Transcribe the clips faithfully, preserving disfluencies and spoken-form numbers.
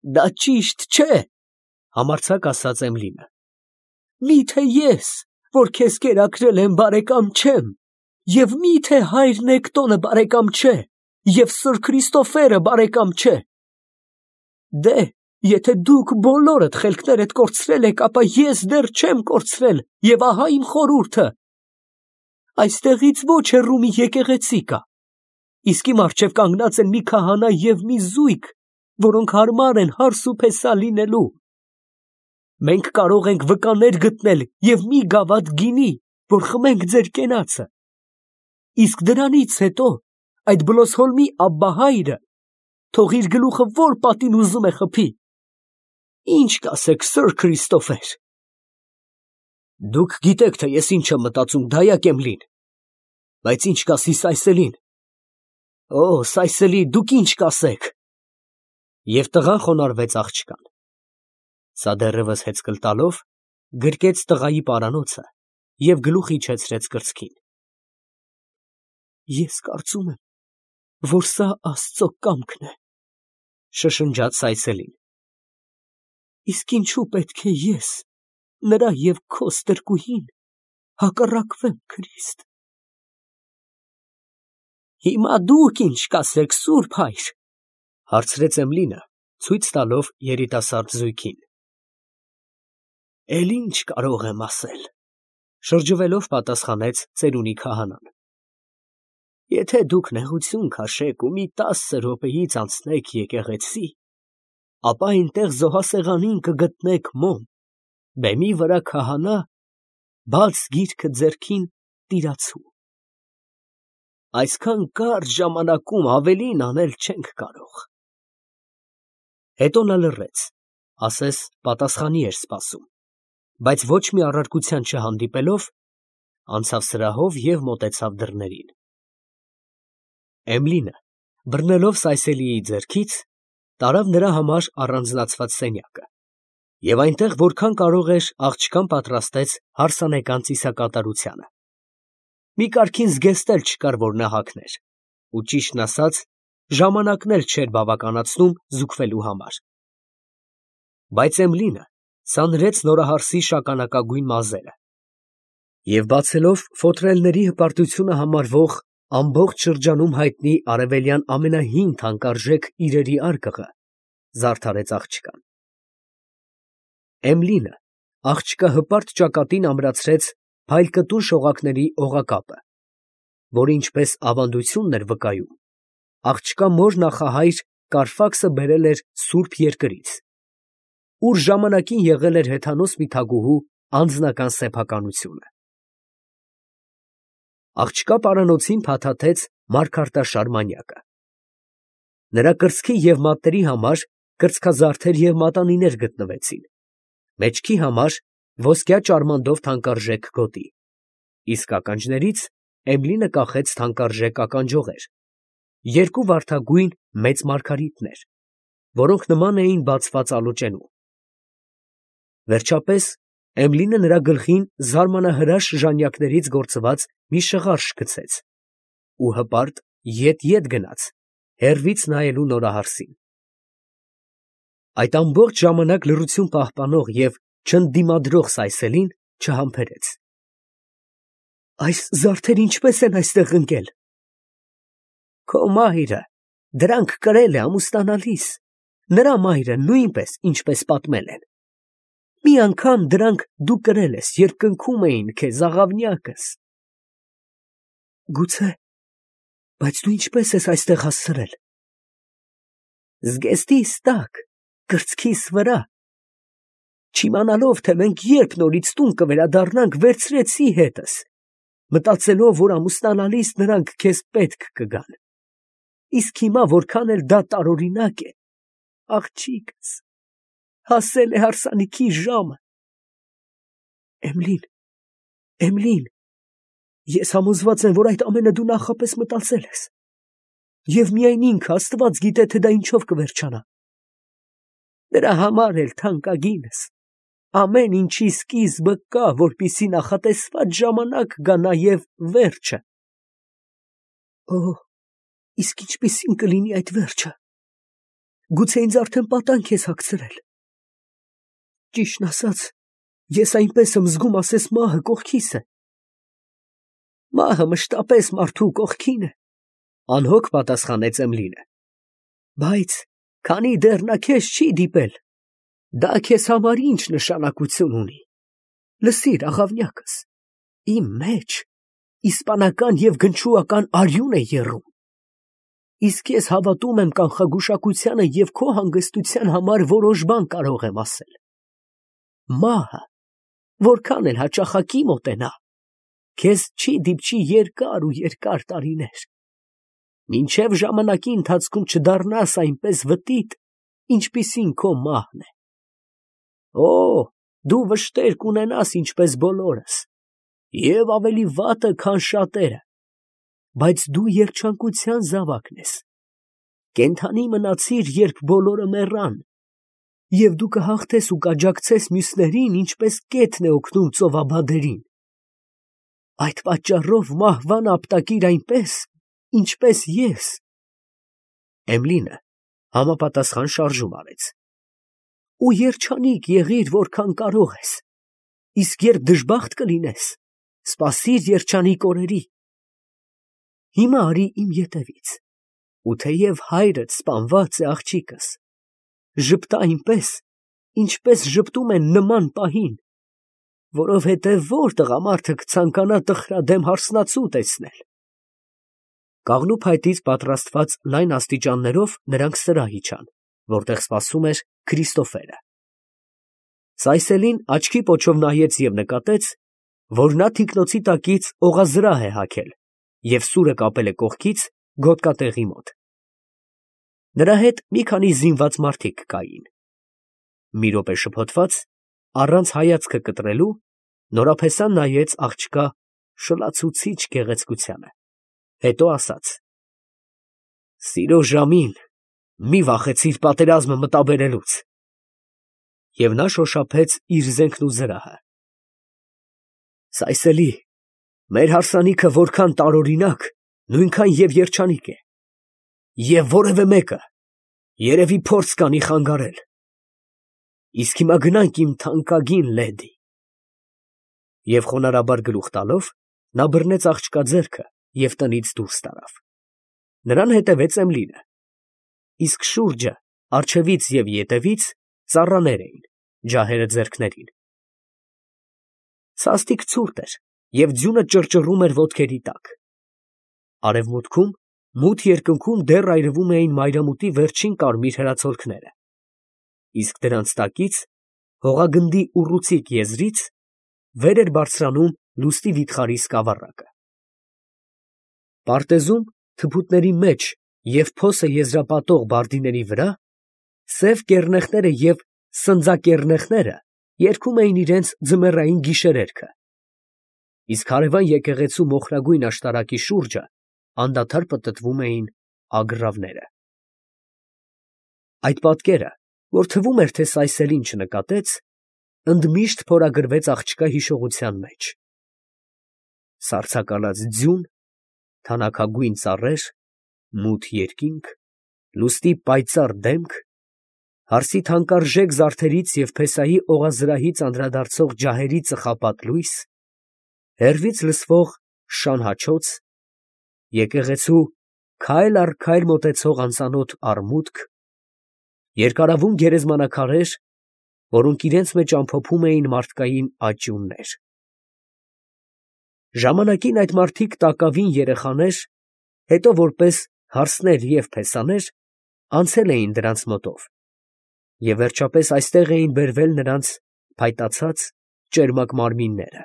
Դա ճիշտ չէ, համարձակ ասաց Էմիլին։ Միթե ես, որ քեզ կերակրել եմ, բարեկամ չեմ, և միթե հայր Նեկտոնը բարեկամ չէ, և Սըր Քրիստոֆերը բարեկամ չէ։ Դե, եթե դուք բոլորդ խելքներդ կորցրել եք, ապա ես դեռ չեմ կորցրել, և ահա իմ խորհուրդը. այստեղից ոչ հեռու մի եկեղեցի կա, իսկ իմ առջև կանգնած են մի քահանա և մի զույգ, որոնք հարմար են հարս ու փեսա լինելու։ Մենք կարող ենք վկաներ գտնել և մի գավաթ գինի, որ խմենք ձեր կենացը։ Իսկ դրանից հետո այդ Բլոսհոլմի Աբբահայրը թող իր գլուխը որ պատին ուզում է խփի։ Ինչ կասեք, Սըր Քրիստոֆեր։ Դուք գիտեք, թե ես ինչ եմ մտածում, դայակ Էմիլին, բայց ինչ կասի Սայսելին։ Օ, Սայսելի, դուք ինչ կասեք։ Եվ տղան խոնարհվեց աղջկան։ Սա դեռևս հեծկլ տալով գրկեց տղայի պարանոցը և գլուխ իջեցրեց կրծքին։ Ես կարծում եմ, որ սա Աստծո կամքն է, շշնջաց Սայսելին։ Իսկ ինչու պետք է ես, նրա և քո ստրկուհին, հակառակվեմ Քրիստ։ Հիմա դուք ինչ կասեք, սուրբ հայր, հարցրեց Էմիլինը, ցույց տալով երիտասարդ զույգին։ Էլ ինչ կարող եմ ասել, շրջվելով պատասխանեց ծերունի քահանան։ Եթե դուք նեղություն քաշեք ու մի տասը րոպեից անցնեք եկեղեցի, ապա այնտեղ զոհասեղանին կգտնեք մոմ, բեմի վրա քահանա, բաց գիրքը ձեռքին տիրացու։ Այսքան կարճ ժամանակում ավելին անել չենք կարող։ Հետո նա լռեց, ասես պատասխանի էր սպասում, բայց ոչ մի առարկության չհանդիպելով, անցավ սրահով և մոտեցավ դռներին։ Էմիլինը, բռնելով Սայսելիի ձեռքից, տարավ նրա համար առանձնացված սենյակը, և այնտեղ որքան կարող էր աղջկան պատրաստեց հարսանեկան ծիսակատարությանը։ Մի կարգին զգեստ էլ չկար, որ նա հագներ, ու ճիշտն ասած, ժամանակն էլ չէր բավականացնում զուգվելու համար։ Բայց Էմիլինը սանրեց նորահարսի շագանակագույն մազերը և բացելով ֆոտրելների հպարտությունը համարվող ամբողջ շրջանում հայտնի արևելյան ամենահին թանկարժեք իրերի արկղը, զարդարեց աղջկան։ Էմիլինը աղջկա հպարտ ճակատին ամրացրեց փայլկտուն շողակների օղակապը, որը ինչպես ավանդությունն էր վկայում, աղջկա մոր նախահայր Կարֆաքսը բերել էր սուրբ երկրից, ուր ժամանակին եղել էր հեթանոս մի թագուհու անձնական սեփականությունը։ Աղջկա պարանոցին փաթաթեց մարգարտաշար մանյակը։ Նրա կրծքի և մատների համար կրծքազարդեր և մատանիներ գտնվեցին, մեջքի համար ոսկյա ճարմանդով թանկարժեք գոտի, իսկ ականջներից Էմիլինը կախեց թանկարժեք ականջողեր, երկու վարդագույն մեծ մարգարիտներ, որոնք նման էին բացված ալոճենու։ Վերջապես Էմիլինը նրա գլխին զարմանահրաշ ժանյակներից գործված մի շղարշ գցեց ու հպարտ ետ֊ետ գնաց, հեռվից նայելու նորահարսին։ Այդ ամբողջ ժամանակ լռություն պահպանող և չընդդիմադրող Սայսելին չհամբերեց։ Այս զարդերը ինչպե՞ս են այստեղ ընկել։ Քո մայրը դրանք կրել է ամուսնանալիս, նրա մայրը նույնպես, ինչպես պատմել են։ Մի անգամ դրանք դու կրել ես, երբ կնքում էին քեզ աղավնյակս։ Գուցե, բայց դու ինչպե՞ս ես այստեղ հասցրել։ Զգեստիս տակ, կրծքիս վրա։ Չիմանալով, թե մենք երբ նորից տուն կվերադառնանք, վերցրեցի հետս, մտածելով, որ ամուսնանալիս նրանք քեզ պետք կգան։ Իսկ հիմա, որքան էլ դա տարօրինակ է, աղջիկս, հասել է հարսանիքի ժամը։ Էմիլին, Էմիլին, ես համոզված եմ, որ այդ ամենը դու նախապես մտածել ես, և միայն ինքը Աստված գիտե, թե դա ինչով կվերջանա։ Դրա համար էլ թանկագինս, ամեն ինչի սկիզբը կա, որպեսզի նախատեսված ժամանակ գա նաև վերջը։ Օ, իսկ ինչպիսի՞ն կլինի այդ վերջը։ Գուցե ինձ արդեն պատանք ես հագցրել։ Ճիշտն ասած, ես այնպես եմ զգում, ասես մահը կողքիս է։ Մահը մշտապես մարդու կողքին է, անհոգ պատասխանեց Էմլինը։ Բայց քանի դեռ նա քեզ չի դիպել, դա քեզ համար ինչ նշանակություն ունի։ Լսիր, աղավնյակս, իմ մեջ իսպանական և գնչուական արյուն է եռում։ Իսկ ես հավատում եմ կանխագուշակությանը և քո հանգստության համար որոշ բան կարող եմ ասել։ Մահը, որքան էլ հաճախակի մոտենա, քեզ չի դիպչի երկար ու երկար տարիներ, մինչև ժամանակի ընթացքում չդառնաս այնպես վտիտ, ինչպիսին քո մահն է։ Օ, դու վշտեր կունենաս ինչպես բոլորս, և ավելի վատը, քան շատերը, բայց դու երջանկության զավակն ես։ Կենդանի մնացիր, երբ բոլորը մեռան, և դու կհաղթես ու կաջակցես մյուսներին, ինչպես կետն է օգնում ծովաբադերին։ Այդ պատճառով մահվան ապտակիր այնպես, ինչպես ես։ Էմլինը համապատասխան շարժում արեց։ Ու երջանիկ եղիր, որքան կարող ես, իսկ երբ դժբախտ կլինես, սպասիր երջանիկ օրերի։ Հիմա արի իմ ետևից, ու թեև հայրդ սպանված է, աղջիկս, ժպտա այնպես, ինչպես ժպտում են նման պահին, որովհետև ո՞ր տղամարդը կցանկանա տխրադեմ հարսնացու տեսնել։ Կաղնու փայտից պատրաստված լայն աստիճաններով նրանք սրահ իջան, որտեղ սպասում էր Քրիստոֆերը։ Սայսելին աչքի պոչով նայեց և նկատեց, որ նա թիկնոցի տակից օղազրահ է հագել և սուրը կապել է կողքից գոտկատեղի մոտ։ Նրա հետ մի քանի զինված մարդիկ կային։ Մի րոպե շփոթված, առանց հայացքը կտրելու, նորապեսան նայեց աղջկա շլացուցիչ գեղեցկությանը, հետո ասաց. «Սիրո ժամին մի վախեցիր պատերազմը մտաբերելուց»։ Եվ նա շոշափեց իր զենքն ու զրահը։ Սայսելի, մեր հարսանիքը որքան տարօրինակ, նույնքան և երջանիկ է, և որևէ մեկը երևի փորձ կանի խանգարել։ Իսկ հիմա գնանք, իմ թանկագին լեդի։ Եվ խոնարհաբար գլուխ տալով, նա բռնեց աղջկա ձեռքը և տնից դուրս տարավ։ Նրան հետևեց Էմլինը, իսկ շուրջը, առջևից և ետևից ծառաներ էին, ջահերը ձեռքներին։ Սաստիկ ցուրտ էր, և ձյունը ճռճռում էր ոտքերի տակ։ Արևմուտքում, մութ երկնքում դեռ այրվում էին մայրամուտի վերջին կարմիր հրացոլքները, իսկ դրանց տակից, հողագնդի ուռուցիկ եզրից, վեր էր բարձրանում լուսնի վիթխարի սկավառակը։ Պարտեզում, թփուտների մեջ և փոսը եզրապատող բարդիների վրա, սև կեռնեխները և սնձակեռնեխները երգում էին իրենց ձմեռային գիշերերքը, իսկ հարևան եկեղեցու մոխրագույն աշտարակի շուրջը անդադար պտտվում էին ագռավները։ Այդ պատկերը, որ թվում էր, թե Սայսելին չնկատեց, ընդմիշտ փորագրվեց աղջկա հիշողության մեջ։ Սառցակալած ձյուն, թանաքագույն ծառեր, մութ երկինք, լուսնի պայծառ դեմք, հարսի թանկարժեք զարդերից և փեսայի օղազրահից անդրադարձող ջահերի ծխապատ լույս, հեռվից լսվող շան հաչոց, եկեղեցու քայլ առ քայլ մոտեցող անծանոթ արմուտք, երկարավուն գերեզմանակարեր, որոնք իրենց մեջ ամփոփում էին մարդկային աճյուններ։ Ժամանակին այդ մարդիկ տակավին երեխաներ, հետո որպես հարսներ և փեսաներ, անցել էին դրանց մոտով, և վերջապես այստեղ էին բերվել նրանց փայտացած, ճերմակ մարմինները,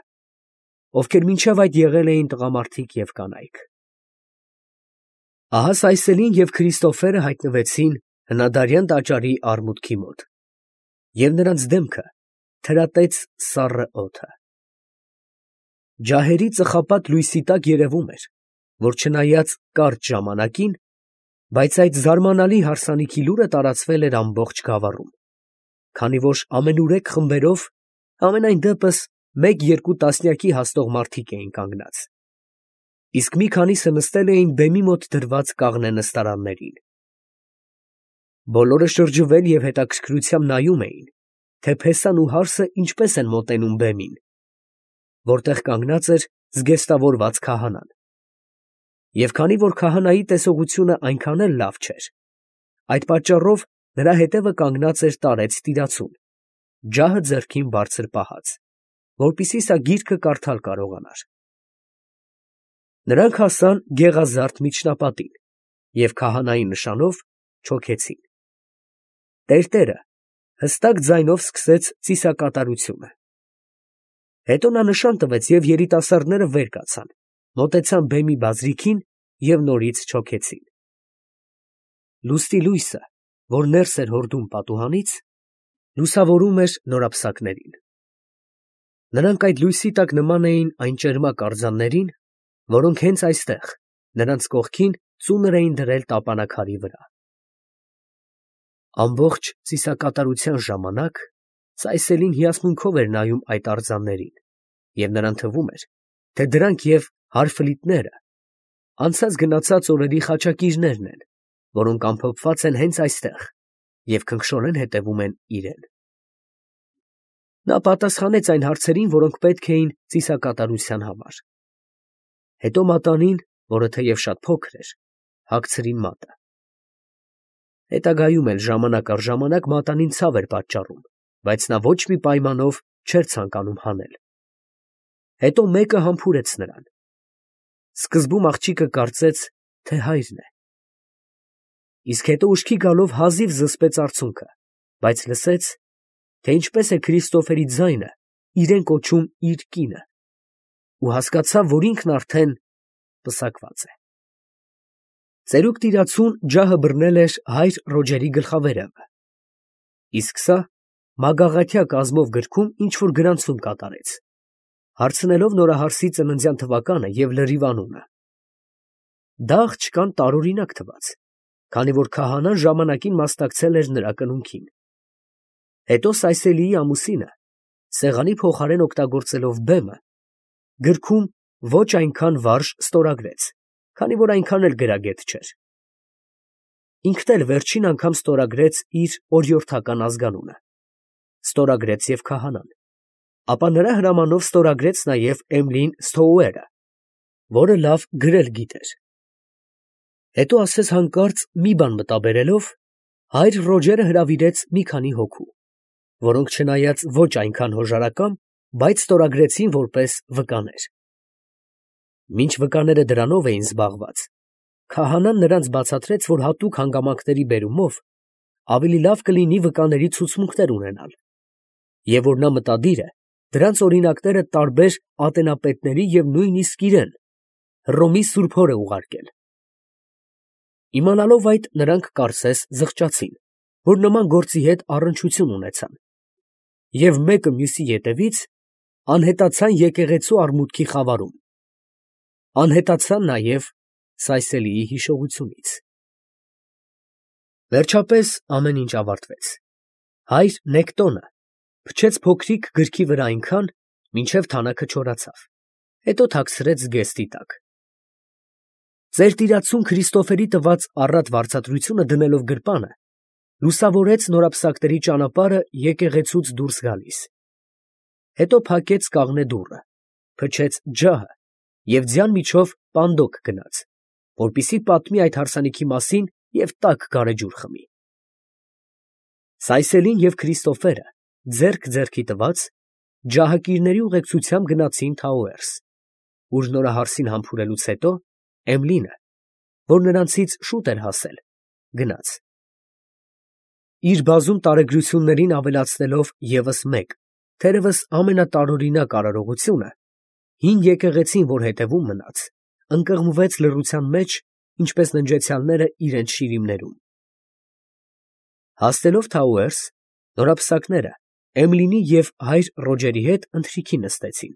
ովքեր մինչև այդ եղել էին տղամարդիկ և կանայք։ Ահա Սայսելին և Քրիստոֆերը հայտնվեցին հնադարյան տաճարի արմուտքի մոտ, և նրանց դեմքը թրատեց սառը օդը։ Ջահերի ծխապատ լույսի տակ երևում էր, որ չնայած կարճ ժամանակին, բայց այդ զարմանալի հարսանիքի լուրը տարածվել էր ամբողջ գավառում, քանի որ ամենուրեք խմբերով, համենայն դեպս մեկ֊երկու տասնյակի հասնող մարդիկ էին կանգնած, իսկ մի քանիսը նստել էին բեմի մոտ դրված կաղնե նստարաններին։ Բոլորը շրջվել և հետաքրքրությամբ նայում էին, թե փեսան ու հարսը ինչպես են մոտենում բեմին, որտեղ կանգնած էր զգեստավորված քահանան. և քանի որ քահանայի տեսողությունը այնքան էլ լավ չէր, այդ պատճառով նրա հետևը կանգնած էր տարեց տիրացուն, ջահը ձեռքին բարձր պահած, որպեսզի սա գիրքը կարդալ կարողանար։ Նրանք հասան գեղազարդ միջնապատին և քահանայի նշանով չոքեցին։ Տերտերը հստակ ձայնով սկսեց ծիսակատարությունը։ Հետո նա նշան տվեց, և երիտասարդները վեր կացան, մոտեցան բեմի բազրիքին և նորից չոքեցին։ Լուսնի լույսը, որ ներս էր հորդում պատուհանից, լուսավորում էր նորապսակներին։ Նրանք այդ լույսի տակ նման էին այն ճերմակ արձաններին, որոնք հենց այստեղ, նրանց կողքին, ծունր էին դրել տապանաքարի վրա։ Ամբողջ ծիսակատարության ժամանակ Սայսելին հիասմունքով էր նայում այդ արձաններին, և նրան թվում էր, թե դրանք և հարֆլիտները անցած գնացած օրերի խաչակիրներն են, որոնք ամփոփված են հենց այստեղ և քնքշորեն հետևում են իրան։ Նա պատասխանեց այն հարցերին, որոնք պետք էին ծիսակատարության համար։ Հետո մատանին, որը թեև շատ փոքր էր, հագցրին մատը։ Հետագայում էլ ժամանակ առ ժամանակ մատանին ցավ էր պատճառում, բայց նա ոչ մի պայմանով չէր ցանկանում հանել։ Հետո մեկը համբուրեց նրան։ Սկզբում աղջիկը կարծեց, թե հայրն է, իսկ հետո ուշքի գալով հազիվ զսպեց արցունքը, բայց լսեց, թե ինչպես է Քրիստոֆերի ձայնը իրեն կոչում իր կինը, ու հասկացավ, որ ինքն արդեն պսակված է։ Ծերուկ տիրացուն ջահը բռնել էր հայր Ռոջերի գլխավերևը, իսկ սա մագաղաթյա կազմով գրքում ինչ֊որ գրանցում կատարեց, հարցնելով նորահարսի ծննդյան թվականը և լրիվ անունը։ Դա աղջկան տարօրինակ թվաց, քանի որ քահանան ժամանակին մասնակցել էր նրա կնունքին։ Հետո Սայսելիի ամուսինը, սեղանի փոխարեն օգտագործելով բեմը, գրքում ոչ այնքան վարժ ստորագրեց, քանի որ այնքան էլ գրագետ չէր։ Ինքն էլ վերջին անգամ ստորագրեց իր օրիորդական ազգանունը, ստորագրեց և քահանան, ապա նրա հրամանով ստորագրեց նաև Էմլին Սթոուերը, որը լավ գրել գիտեր։ Հետո ասես հանկարծ մի բան մտաբերելով, հայր Ռոջերը հրավիրեց մի քանի հոգու, որոնք չնայած ոչ այնքան հոժարակամ, բայց ստորագրեցին որպես վկաներ։ Մինչ վկաները դրանով էին զբաղված, քահանան նրանց բացատրեց, որ հատուկ հանգամանքների բերումով ավելի լավ կլինի վկաների ցուցմունքներ ունենալ, և որ նա մտադիր է դրանց օրինակները տարբեր ատենապետների և նույնիսկ իրան, Հռոմի սուրբ հորը ուղարկել։ Իմանալով այդ, նրանք կարծես զղջացին, որ նման գործի հետ առնչություն ունեցան, և մեկը մյուսի ետևից անհետացան եկեղեցու արմուտքի խավարում, անհետացան նաև Սայսելիի հիշողությունից։ Վերջապես ամեն ինչ ավարտվեց։ Հայր Նեկտոնը փչեց փոքրիկ գրքի վրա այնքան, մինչև թանաքը չորացավ, հետո թաքցրեց զգեստի տակ։ Ծեր տիրացուն Քրիստոֆերի տված առատ վարձատրությունը դնելով գրպանը, լուսավորեց նորապսակների ճանապարհը եկեղեցուց դուրս գալիս։ Հետո փակեց կաղնե դուռը, փչեց ջահը և ձյան միջով պանդոկ գնաց, որպեսզի պատմի այդ հարսանիքի մասին և տաք գարեջուր խմի։ Սայսելին և Քրիստոֆերը, ձեռք ձեռքի տված, ջահակիրների ուղեկցությամբ գնացին Թաուերս, ուր նորահարսին համբուրելուց հետո Էմլինը, որ նրանցից շուտ էր հասել, գնաց։ Իր բազում տարեգրություններին ավելացնելով ևս մեկ, թերևս ամենատարօրինակ արարողությունը, հին եկեղեցին, որ հետևում մնաց, ընկղմվեց լռության մեջ, ինչպես ննջեցյալները իրենց շիրիմներում։ Հասնելով Թաուերս, նորապսակները Էմլինի և հայր Ռոջերի հետ ընթրիքի նստեցին,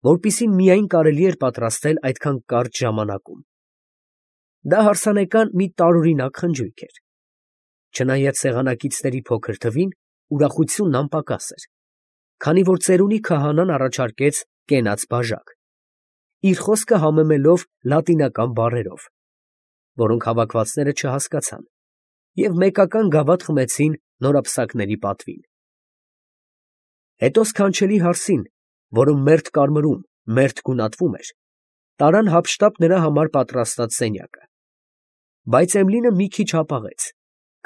որպեսզի միայն կարելի էր պատրաստել այդքան կարճ ժամանակում։ Դա հարսանեկան մի տարօրինակ խնջույք էր։ Չնայած սեղանակիցների փոքր թվին, ուրախությունն անպակաս էր, քանի որ ծերունի քահանան առաջարկեց կենաց բաժակ, իր խոսքը համեմելով լատինական բառերով, որոնք հավաքվածները չհասկացան, և մեկական գավաթ խմեցին նորապսակների պատվին։ Հետո սքանչելի հարսին, որը մերթ կարմրում, մերթ գունատվում էր, տարան հափշտապ նրա համար պատրաստած սենյակը, բայց Էմլինը մի քիչ հապաղեց,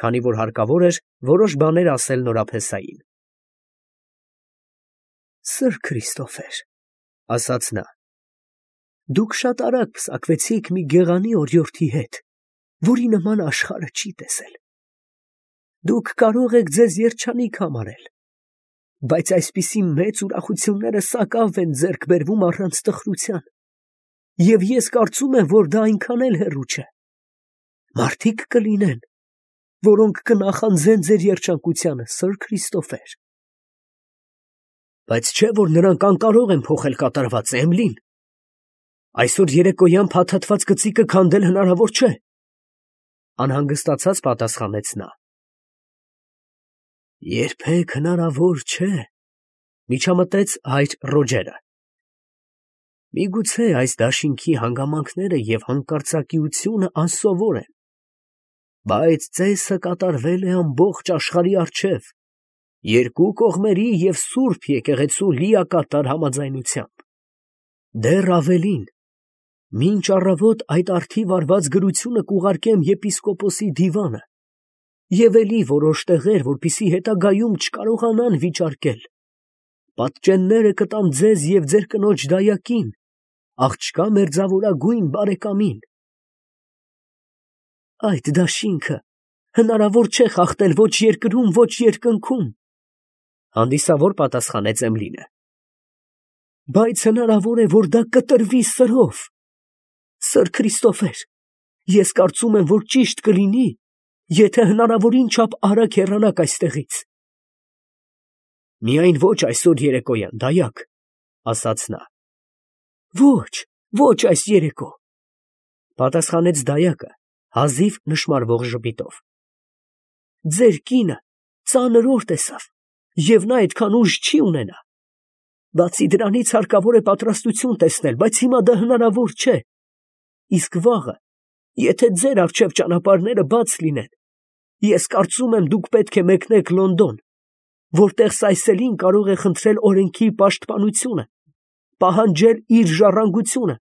քանի որ հարկավոր էր որոշ բաներ ասել նորապեսային։ Սըր Քրիստոֆեր, ֊ ասաց նա, ֊ դուք շատ արագ պսակվեցիք մի գեղանի օրիորդի հետ, որի նման աշխարհը չի տեսել։ Դուք կարող եք ձեզ երջանիկ համարել, բայց այսպիսի մեծ ուրախությունները սակավ են ձեռք բերվում առանց տխրության, և ես կարծում եմ, որ դա այնքան էլ հեռու չէ։ Մարդիկ կլինեն, որոնք կնախանձեն ձեր երջանկությանը, սըր Քրիստոֆեր։ Բայց չէ՞ որ նրանք անկարող են փոխել կատարվածը, Էմլին։ Այսօր երեկոյան փաթաթված կծիկը քանդել հնարավոր չէ, անհանգստացած պատասխանեց նա։ Երբեք հնարավոր չէ, միջամտեց հայր Ռոջերը։ Միգուցե այս դաշինքի հանգամանքները և հանկարծակիությունը անսովոր են, բայց ծեսը կատարվել է ամբողջ աշխարհի առջև, երկու կողմերի և սուրբ եկեղեցու լիակատար համաձայնությամբ։ Դեռ ավելին, մինչ առավոտ այդ առթիվ արված գրությունը կուղարկեմ եպիսկոպոսի դիվանը և էլի որոշ տեղեր, որպեսզի հետագայում չկարողանան վիճարկել, պատճենները կտամ ձեզ և ձեր կնոջ դայակին, աղջկա մերձավորագույն բարեկամին։ Այդ դաշինքը հնարավոր չէ խախտել ոչ երկրում, ոչ երկնքում, հանդիսավոր պատասխանեց Էմլինը։ Բայց հնարավոր է, որ դա կտրվի սրով։ Սըր Քրիստոֆեր, ես կարծում եմ, որ ճիշտ կլինի, եթե հնարավորին չափ արագ հեռանաք այստեղից։ Միայն ոչ այսօր երեկոյան, դայակ, ասաց նա։ Ոչ, ոչ այս երեկո, պատասխանեց դայակը հազիվ նշմարվող ժպիտով։ Ձեր կինը ծանր օր տեսավ, և նա այդքան ուժ չի ունենա։ Բացի դրանից հարկավոր է պատրաստություն տեսնել, բայց հիմա դա հնարավոր չէ։ Իսկ վաղը, եթե ձեր առջև ճանապարհները բաց լինեն, ես կարծում եմ, դուք պետք է մեկնեք Լոնդոն, որտեղ Սայսելին կարող է խնդրել օրենքի պաշտպանությունը, պահանջել իր ժառանգությունը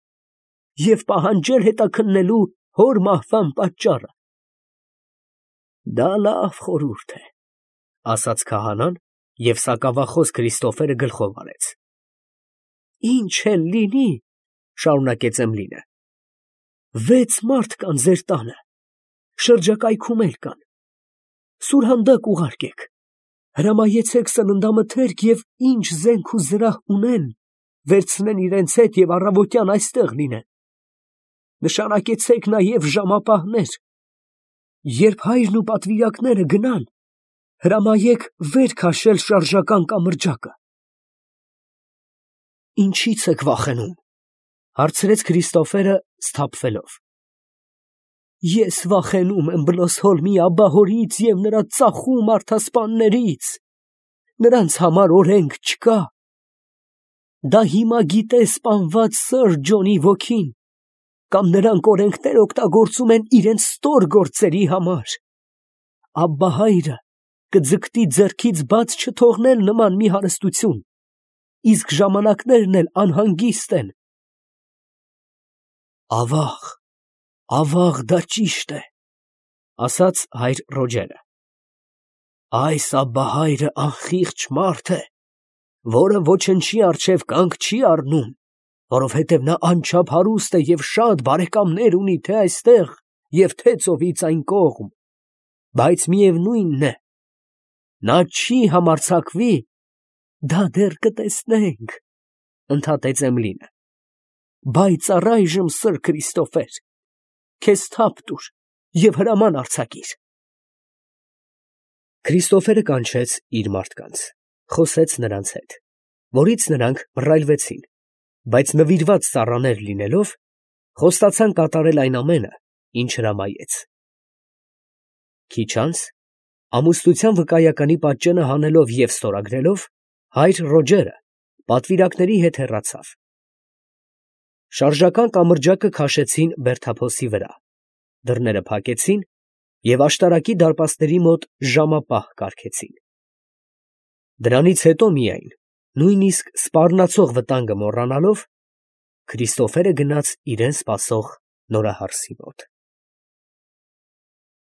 և պահանջել հետաքննելու հոր մահվան պատճառը։ Դա լավ խորհուրդ է, ասաց քահանան, և սակավախոս Քրիստոֆերը գլխով արեց։ Ինչ էլ լինի, շարունակեց Էմլինը, վեց մարդ կան ձեր տանը, շրջակայքում էլ կան, սուրհանդակ ուղարկեք, հրամայեցեք սննդամթերք և ինչ զենք ու զրահ ունեն, վերցնեն իրենց հետ և առավոտյան այստեղ լինեն։ Նշանակեցեք նաև ժամապահներ։ Երբ հայրն ու պատվիրակները գնան, հրամայեք վեր քաշել շարժական կամրջակը։ Ինչի՞ց եք վախենում, հարցրեց Քրիստոֆերը սթափվելով։ Ես վախենում եմ Բլոսհոլմի աբբահորից և նրա ծախում մարդասպաններից, նրանց համար օրենք չկա։ Դա հիմա գիտե սպանված սըր Ջոնի ոգին, կամ նրանք օրենքներ օգտագործում են իրենց ստոր գործերի համար։ Աբբահայրը կձգտի ձեռքից բաց չթողնել նման մի հարստություն, իսկ ժամանակներն էլ անհանգիստ են։ Ավաղ, ավաղ, դա ճիշտ է, ասաց հայր Ռոջերը։ Այս աբբահայրը անխիղճ մարդ է, որը ոչնչի առջև կանգ չի առնում, որովհետև նա անչափ հարուստ է և շատ բարեկամներ ունի թե այստեղ և թե ծովից այն կողմ, բայց միևնույնն է, նա չի համարձակվի։ Դա դեռ կտեսնենք, ընդհատեց Էմլինը, բայց առայժմ, սըր Քրիստոֆեր, քեզ թափ տուր և հրաման արձակիր։ Քրիստոֆերը կանչեց իր մարդկանց, խոսեց նրանց հետ, որից նրանք մռայլվեցին, բայց նվիրված ծառաներ լինելով, խոստացան կատարել այն ամենը, ինչ հրամայեց։ Քիչ անց, ամուսնության վկայականի պատճենը հանելով և ստորագրելով, հայր Ռոջերը պատվիրակների հետ հեռացավ։ Շարժական կամրջակը քաշեցին բերդափոսի վրա, դռները փակեցին և աշտարակի դարպասների մոտ ժամապահ կարգեցին։ Դրանից հետո միայն, նույնիսկ սպառնացող վտանգը մոռանալով, Քրիստոֆերը գնաց իրան սպասող նորահարսի մոտ։